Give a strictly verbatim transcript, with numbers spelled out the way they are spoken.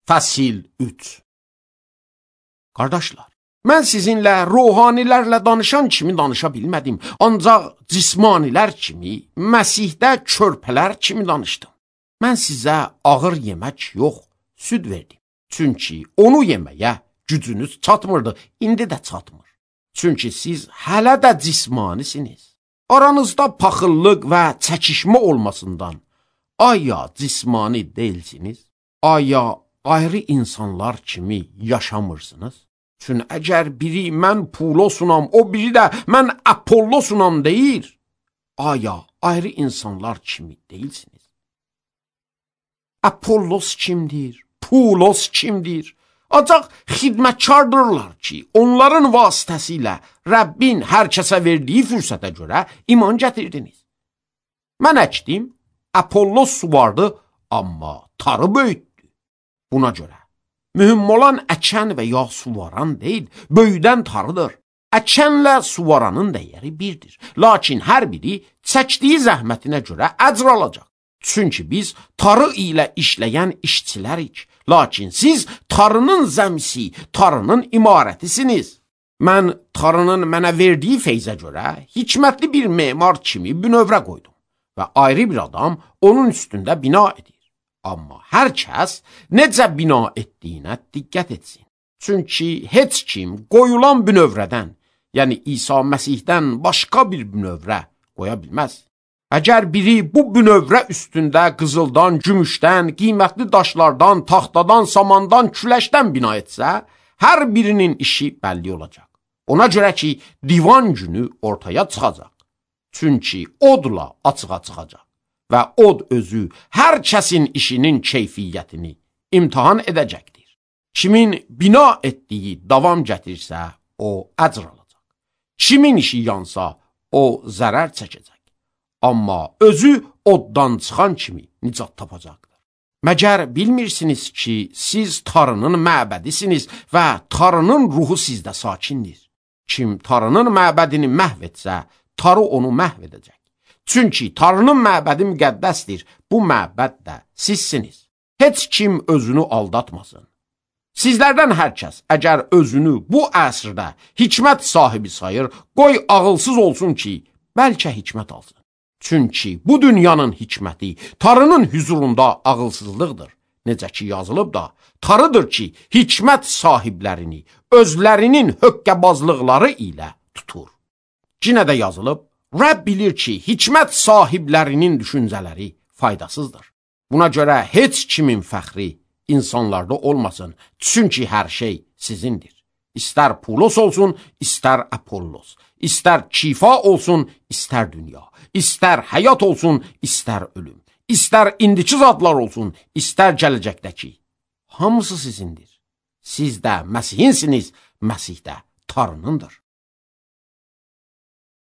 Fəsil üç. Qardaşlar, mən sizinlə ruhanilərlə danışan kimi danışa bilmədim, ancaq cismanilər kimi, Məsihdə körpələr kimi danışdım. Mən sizə ağır yemək yox, süd verdim. Çünki onu yeməyə gücünüz çatmırdı, indi də çatmır. Çünki siz hələ də cismanisiniz. Aranızda paxıllıq və çəkişmə olmasından, aya cismani deyilsiniz, aya ayrı insanlar kimi yaşamırsınız. Çünki əgər biri mən Pulosunam, o biri də mən Apollosunam deyir, aya ayrı insanlar kimi deyilsiniz. Apollos kimdir? Pulos kimdir? Ancaq xidmətkardırlar ki, onların vasitəsilə Rəbbin hər kəsə verdiyi fürsətə görə iman gətirdiniz. Mən əkdim, Apollos suvardı, amma tarı böyütdü. Buna görə mühüm olan əkən və ya suvaran deyil, böyüdən tarıdır. Əkənlə suvaranın dəyəri birdir. Lakin hər biri çəkdiyi zəhmətinə görə əcr alacaq. Çünki biz tarı ilə işləyən işçilərik. Lakin siz tarının zəmsi, tarının imarətisiniz. Mən tarının mənə verdiyi feyzə görə hikmətli bir memar kimi bünövrə qoydum və ayrı bir adam onun üstündə bina edir. Amma hər kəs necə bina etdiyinə diqqət etsin. Çünki heç kim qoyulan bünövrədən, yəni İsa Məsihdən başqa bir bünövrə qoya bilməz. Əgər biri bu bünövrə üstündə qızıldan, gümüşdən, qiymətli daşlardan, taxtadan, samandan, küləşdən bina etsə, hər birinin işi bəlli olacaq. Ona görə ki, divan günü ortaya çıxacaq. Çünki odla açığa çıxacaq və od özü hər kəsin işinin keyfiyyətini imtihan edəcəkdir. Kimin bina etdiyi davam gətirsə, o əcr alacaq. Kimin işi yansa, o zərər çəkəcək. Amma özü oddan çıxan kimi nicat tapacaqdır. Məgər bilmirsiniz ki, siz tarının məbədisiniz və tarının ruhu sizdə sakindir. Kim tarının məbədini məhv etsə, tarı onu məhv edəcək. Çünki tarının məbədi müqəddəsdir, bu məbəd də sizsiniz. Heç kim özünü aldatmasın. Sizlərdən hər kəs əgər özünü bu əsrdə hikmət sahibi sayır, qoy ağılsız olsun ki, bəlkə hikmət alsın. Çünki bu dünyanın hikməti tarının hüzurunda ağılsızlıqdır. Necə ki yazılıb da, tarıdır ki, hikmət sahiblərini özlərinin höqqəbazlıqları ilə tutur. Cinə də yazılıb, Rəbb bilir ki, hikmət sahiblərinin düşüncələri faydasızdır. Buna görə heç kimin fəxri insanlarda olmasın, çünki hər şey sizindir. İstər Pulos olsun, istər Apollos, istər kifa olsun, istər dünya, istər həyat olsun, istər ölüm, istər indiki zadlar olsun, istər gələcəkdəki. Hamısı sizindir. Siz də Məsihinsiniz, Məsih də tarınındır.